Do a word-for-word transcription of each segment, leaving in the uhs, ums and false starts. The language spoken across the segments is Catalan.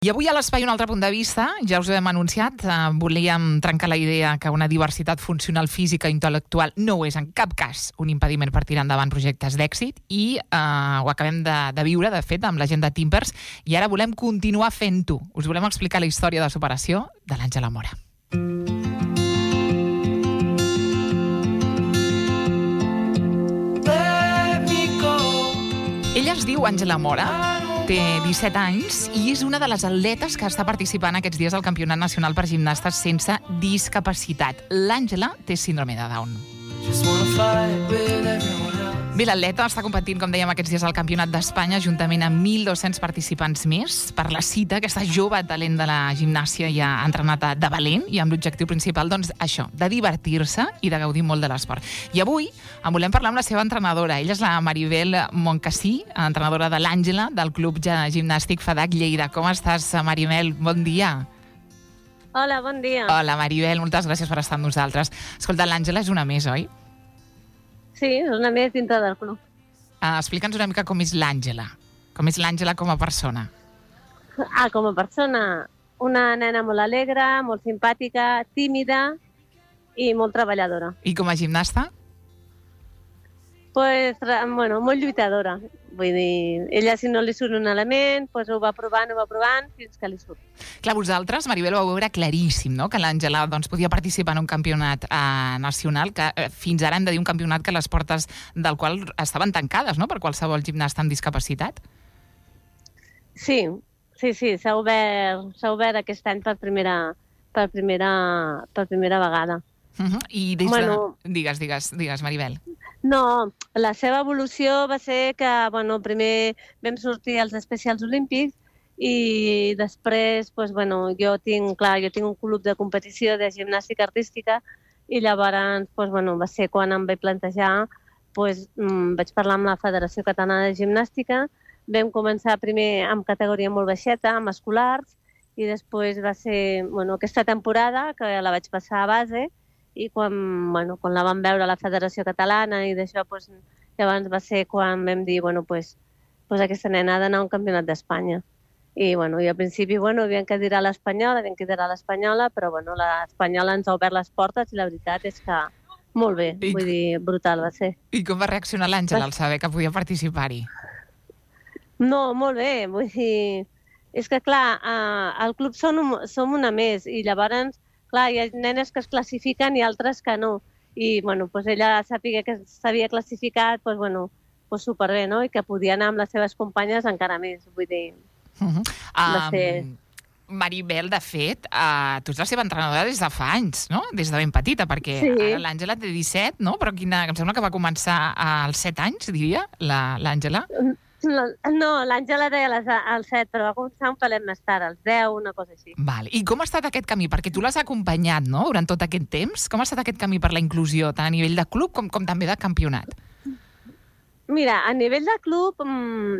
I avui a l'Espai un altre punt de vista, ja us ho hem anunciat, eh, volíem trencar la idea que una diversitat funcional física i intel·lectual no és en cap cas un impediment per tirar endavant projectes d'èxit i eh, ho acabem de, de viure, de fet, amb la gent de Timpers i ara volem continuar fent-ho. Us volem explicar la història de superació de l'Àngela Mora. Ella es diu Àngela Mora, té disset anys i és una de les atletes que està participant aquests dies al Campionat Nacional per Gimnastes sense discapacitat. L'Àngela té síndrome de Down. Bé, l'atleta està competint, com dèiem, aquests dies al Campionat d'Espanya juntament amb mil dos-cents participants més per la cita. Aquesta jove talent de la gimnàsia ja ha entrenat de valent i amb l'objectiu principal, doncs, això, de divertir-se i de gaudir molt de l'esport. I avui en volem parlar amb la seva entrenadora. Ella és la Maribel Moncasí, entrenadora de l'Àngela, del Club Gimnàstic FEDAC Lleida. Com estàs, Maribel? Bon dia. Hola, bon dia. Hola, Maribel, moltes gràcies per estar amb nosaltres. Escolta, l'Àngela és una més, oi? Sí, és una més dintre del club. Uh, Explica'ns una mica com és l'Àngela. Com és l'Àngela com a persona. Ah, com a persona, una nena molt alegre, molt simpàtica, tímida i molt treballadora. I com a gimnasta? Pues, bueno, molt lluitadora. Vull dir, ella si no li surt un element, pues ho va provant, ho va provant, fins que li surt. Clar, vosaltres, Maribel, ho vau veure claríssim, no?, que l'Àngela doncs, podia participar en un campionat eh, nacional, que eh, fins ara hem de dir un campionat que les portes del qual estaven tancades, no?, per qualsevol gimnasta amb discapacitat. Sí, sí, sí, s'ha obert, s'ha obert aquest any per primera, per primera, per primera vegada. Uh-huh. I des bueno, de... Digues, digues, digues, Maribel. No, la seva evolució va ser que, bueno, primer vam sortir als especials olímpics i després, pues, bueno, jo tinc, clar, jo tinc un club de competició de gimnàstica artística i llavors, pues, bueno, va ser quan em vaig plantejar, pues, mmm, vaig parlar amb la Federació Catalana de Gimnàstica, vam començar primer amb categoria molt baixeta, amb escolars, i després va ser, bueno, aquesta temporada, que la vaig passar a base, i quan, bueno, quan la vam veure a la Federació Catalana i d'això, pues, llavors va ser quan vam dir, bueno, pues, pues aquesta nena ha d'anar a un campionat d'Espanya. I, bueno, i al principi, bueno, havíem que dir a l'Espanyola, havíem que dir a l'Espanyola, però, bueno, l'Espanyola ens ha obert les portes i la veritat és que molt bé, I... vull dir, brutal va ser. I com va reaccionar l'Àngela al saber que podia participar-hi? No, molt bé, vull dir, és que, clar, eh, al club som, som una més i llavors clar, hi ha nenes que es classifiquen i altres que no. I, bueno, pues ella sàpiga que s'havia classificat, pues, bueno, pues superbé, no? I que podia anar amb les seves companyes encara més, vull dir... Uh-huh. um, ser... Maribel, de fet, uh, tu ets la seva entrenadora des de fa anys, no? Des de ben petita, perquè sí. Ara l'Àngela té disset, no? Però quina, em sembla que va començar als set anys, diria, l'Àngela. No, no l'Àngela deia als set, però va començar un pelet més tard, als deu, una cosa així. Val. I com ha estat aquest camí? Perquè tu l'has acompanyat, no?, durant tot aquest temps. Com ha estat aquest camí per la inclusió, tant a nivell de club com, com també de campionat? Mira, a nivell de club,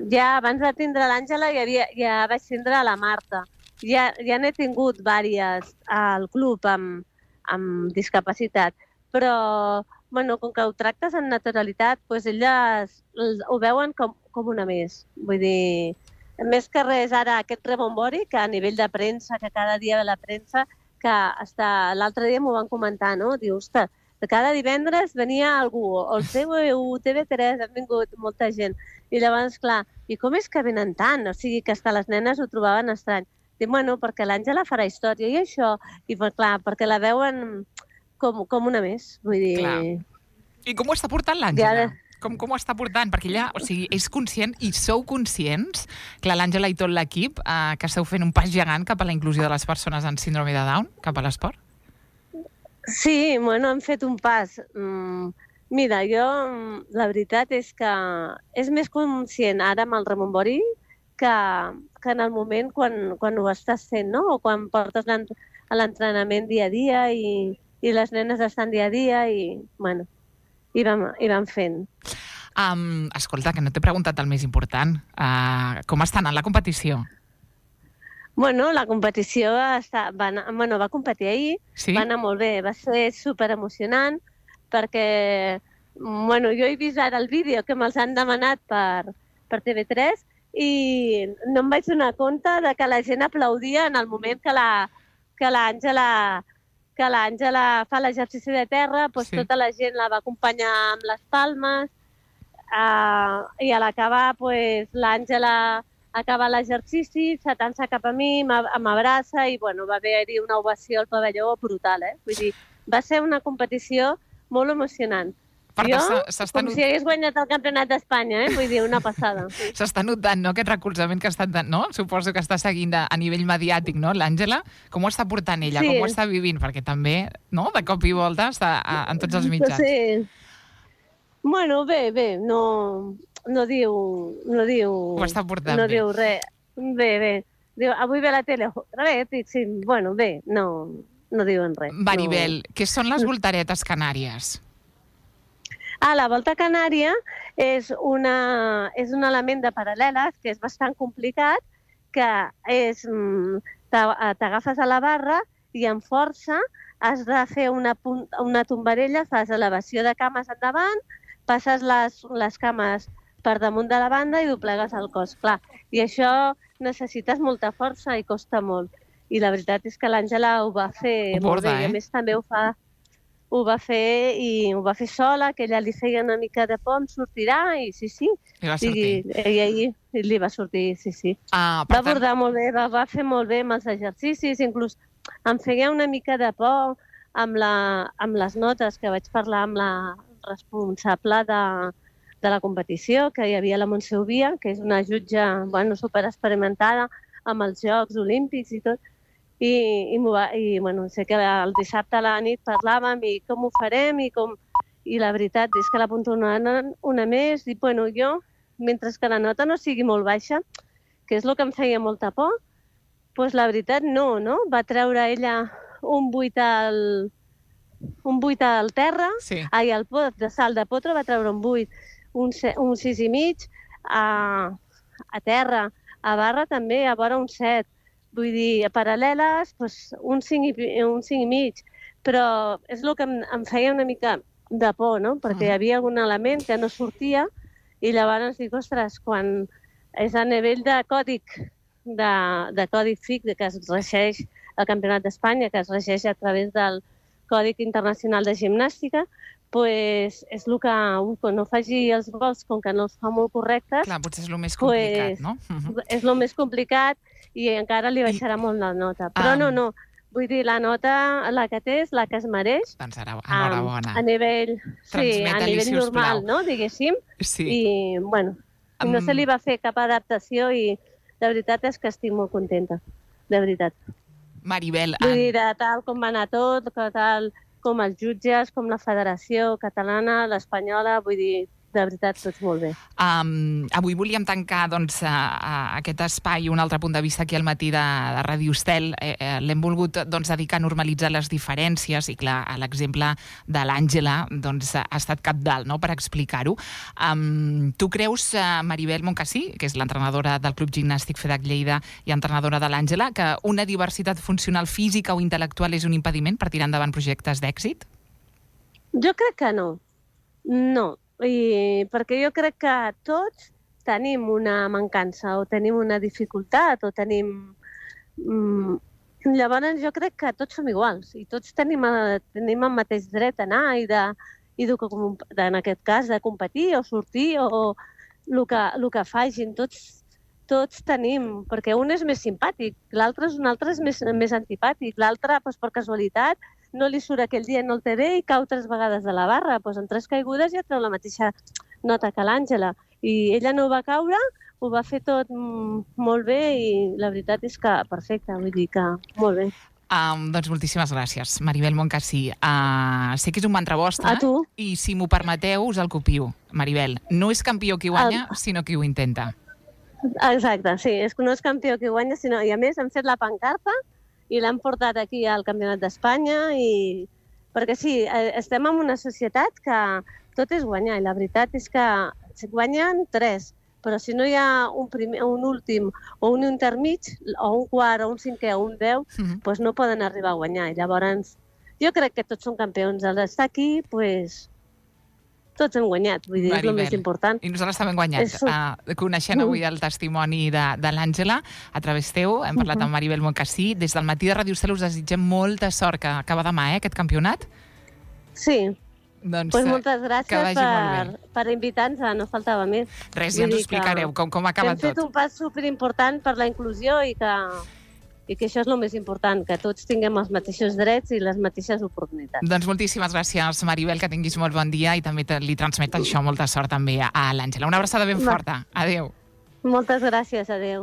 ja abans de tindre l'Àngela ja, havia, ja vaig tindre la Marta. Ja, ja n'he tingut diverses al club amb, amb discapacitat, però bueno, com que ho tractes en naturalitat, doncs elles ho veuen com, com una més. Vull dir, més que res ara aquest rebombori, que a nivell de premsa, que cada dia ve la premsa, que hasta l'altre dia m'ho van comentar, no? Diu, ostres, cada divendres venia algú, o el T V u, T V tres, han vingut molta gent. I llavors, clar, i com és que venen tant? O sigui, que hasta les nenes ho trobaven estrany. Dic, bueno, perquè l'Àngela farà història i això, i clar, perquè la veuen com, com una més, vull dir... Clar. I com ho està portant l'Àngela? Ja. Com, com ho està portant? Perquè ella, o sigui, és conscient i sou conscients que l'Àngela i tot l'equip eh, que esteu fent un pas gegant cap a la inclusió de les persones amb síndrome de Down, cap a l'esport? Sí, bueno, hem fet un pas. Mm, mira, jo, la veritat és que és més conscient ara amb el rebombori que, que en el moment quan, quan ho estàs fent, no? O quan portes l'entrenament dia a dia i, i les nenes estan dia a dia i, bueno, i vam, i vam fent. Um, escolta, que no t'he preguntat el més important. Uh, com està anant la competició? Bueno, la competició està, va, anar, bueno, va competir ahir, sí? Va anar molt bé, va ser superemocionant perquè bueno, jo he vist ara el vídeo que me'ls han demanat per, per T V tres i no em vaig donar compte de que la gent aplaudia en el moment que la que l'Àngela que l'Àngela fa l'exercici de terra, doncs Sí. tota la gent la va acompanyar amb les palmes, uh, i a l'acabar doncs, l'Àngela acaba l'exercici, s'atança cap a mi, m'a- m'abraça i bueno, va haver-hi una ovació al pavelló brutal. Eh? Vull dir, va ser una competició molt emocionant. Per Jo, tant, s'ha- s'està com not- si hagués guanyat el campionat d'Espanya, eh? Vull dir, una passada. Sí. S'està notant, no?, aquest recolzament que ha estat, de, no? Suposo que està seguint a, a nivell mediàtic, no?, l'Àngela. Com ho està portant ella? Sí. Com ho està vivint? Perquè també, no?, de cop i volta està a, en tots els mitjans. Sí. Bueno, bé, bé, no, no diu... No diu Ho està portant no bé. diu res. Bé, bé. Diu, avui ve a la tele, res, dic, sí, bueno, bé, no, no diuen res. Maribel, No. què són les voltaretes canàries? Ah, la volta canària és, una, és un element de paral·leles que és bastant complicat, que és... mm, t'a- t'agafes a la barra i amb força has de fer una, punt, una tombarella, fas elevació de cames endavant, passes les, les cames per damunt de la banda i doblegues el cos. Clar, i això necessites molta força i costa molt. I la veritat és que l'Àngela ho va fer Ho molt borda, bé. I eh? a més també ho fa ho va fer i ho va fer sola, que ella li feia una mica de por, em sortirà, i sí, sí. Li va sortir. I, i, i, i li va sortir, sí, sí. Ah, Va per tant, abordar molt bé, va, va fer molt bé amb els exercicis, inclús em feia una mica de por amb, la, amb les notes, que vaig parlar amb la responsable de, de la competició, que hi havia la Montse Ovia, que és una jutge bueno, superexperimentada amb els Jocs Olímpics i tot, i, i, m'ho va, i bueno, sé que el dissabte a la nit parlàvem i com ho farem i com... I la veritat és que l'apunto una, una més i bueno, jo, mentre que la nota no sigui molt baixa, que és el que em feia molta por, doncs la veritat no, no? Va treure ella un vuit al, un vuit al terra, sí. ai, al pot de salt de potro va treure un vuit, un, se, un sis i mig, a, a terra, a barra també, a vora un set. Vull dir, a paral·leles, doncs, un cinc i, un cinc i mig. Però és el que em, em feia una mica de por, no? Perquè hi havia algun element que no sortia i llavors dic, ostres, quan és a nivell de còdic, de, de còdic F I C, que es regeix el Campionat d'Espanya, que es regeix a través del Còdic Internacional de Gimnàstica, pues és el que quan no faci els gols, com que no els fa molt correctes, Clar, potser és el més complicat, pues, no? Uh -huh. és el més complicat i encara li baixarà I... molt la nota. Però um... no, no, vull dir, la nota, la que té és la que es mereix. Doncs enhorabona. Um, a nivell, sí, a nivell normal, no, diguéssim. Sí. I, bueno, Um... no se li va fer cap adaptació i la veritat és que estic molt contenta, de veritat. Maribel... Vull dir, de tal com va anar tot, que tal com els jutges, com la federació catalana, l'espanyola, vull dir, de veritat, tots molt bé. Um, avui volíem tancar doncs, a, a aquest espai, un altre punt de vista aquí al matí de, de Ràdio Estel. Eh, eh, L'hem volgut doncs, dedicar a normalitzar les diferències i, clar, l'exemple de l'Àngela doncs, ha estat cabdal, no?, per explicar-ho. Um, tu creus, uh, Maribel Moncasí, que és l'entrenadora del Club Gimnàstic FEDAC Lleida i entrenadora de l'Àngela, que una diversitat funcional física o intel·lectual és un impediment per tirar endavant projectes d'èxit? Jo crec que no. No. I perquè jo crec que tots tenim una mancança o tenim una dificultat o tenim... Mm, llavors jo crec que tots som iguals i tots tenim, tenim el mateix dret a anar i, de, i de, de, en aquest cas de competir o sortir o el que, el que facin. Tots, tots tenim, perquè un és més simpàtic, l'altre és un altre és més, més antipàtic, l'altre doncs, per casualitat no li surt aquell dia, no el té bé i cau tres vegades de la barra. Doncs en tres caigudes ja treu la mateixa nota que l'Àngela. I ella no va caure, ho va fer tot molt bé i la veritat és que perfecte, vull dir que molt bé. Um, doncs moltíssimes gràcies, Maribel Moncasí. Uh, sé que és un mantra vostre. A tu. I si m'ho permeteu, us el copio. Maribel, no és campió qui guanya, el... sinó qui ho intenta. Exacte, sí, és que no és campió qui guanya, sinó, i a més hem fet la pancarta i l'hem portat aquí al Campionat d'Espanya i... perquè sí, estem en una societat que tot és guanyar i la veritat és que guanyen tres, però si no hi ha un, primer, un últim o un intermig, o un quart, o un cinquè, o un deu, mm-hmm. doncs no poden arribar a guanyar. I llavors jo crec que tots són campions. El d'estar aquí, doncs, tots hem guanyat, vull dir, és el més important. I nosaltres també hem guanyat, És... uh, coneixent avui el testimoni de, de l'Àngela, a través teu, hem parlat uh -huh. amb Maribel Moncasí, des del matí de Ràdio Cel us desitgem molta sort, que acaba demà, eh, aquest campionat. Sí, doncs pues moltes gràcies per, per invitar-nos, no faltava més. Res, ja ens ho explicareu, com, com acaba tot. Hem fet un pas superimportant per la inclusió i que... i que això és el més important, que tots tinguem els mateixos drets i les mateixes oportunitats. Doncs moltíssimes gràcies, Maribel, que tinguis molt bon dia i també li transmet això molta sort també a l'Àngela. Una abraçada ben forta. Adéu. Moltes gràcies, adéu.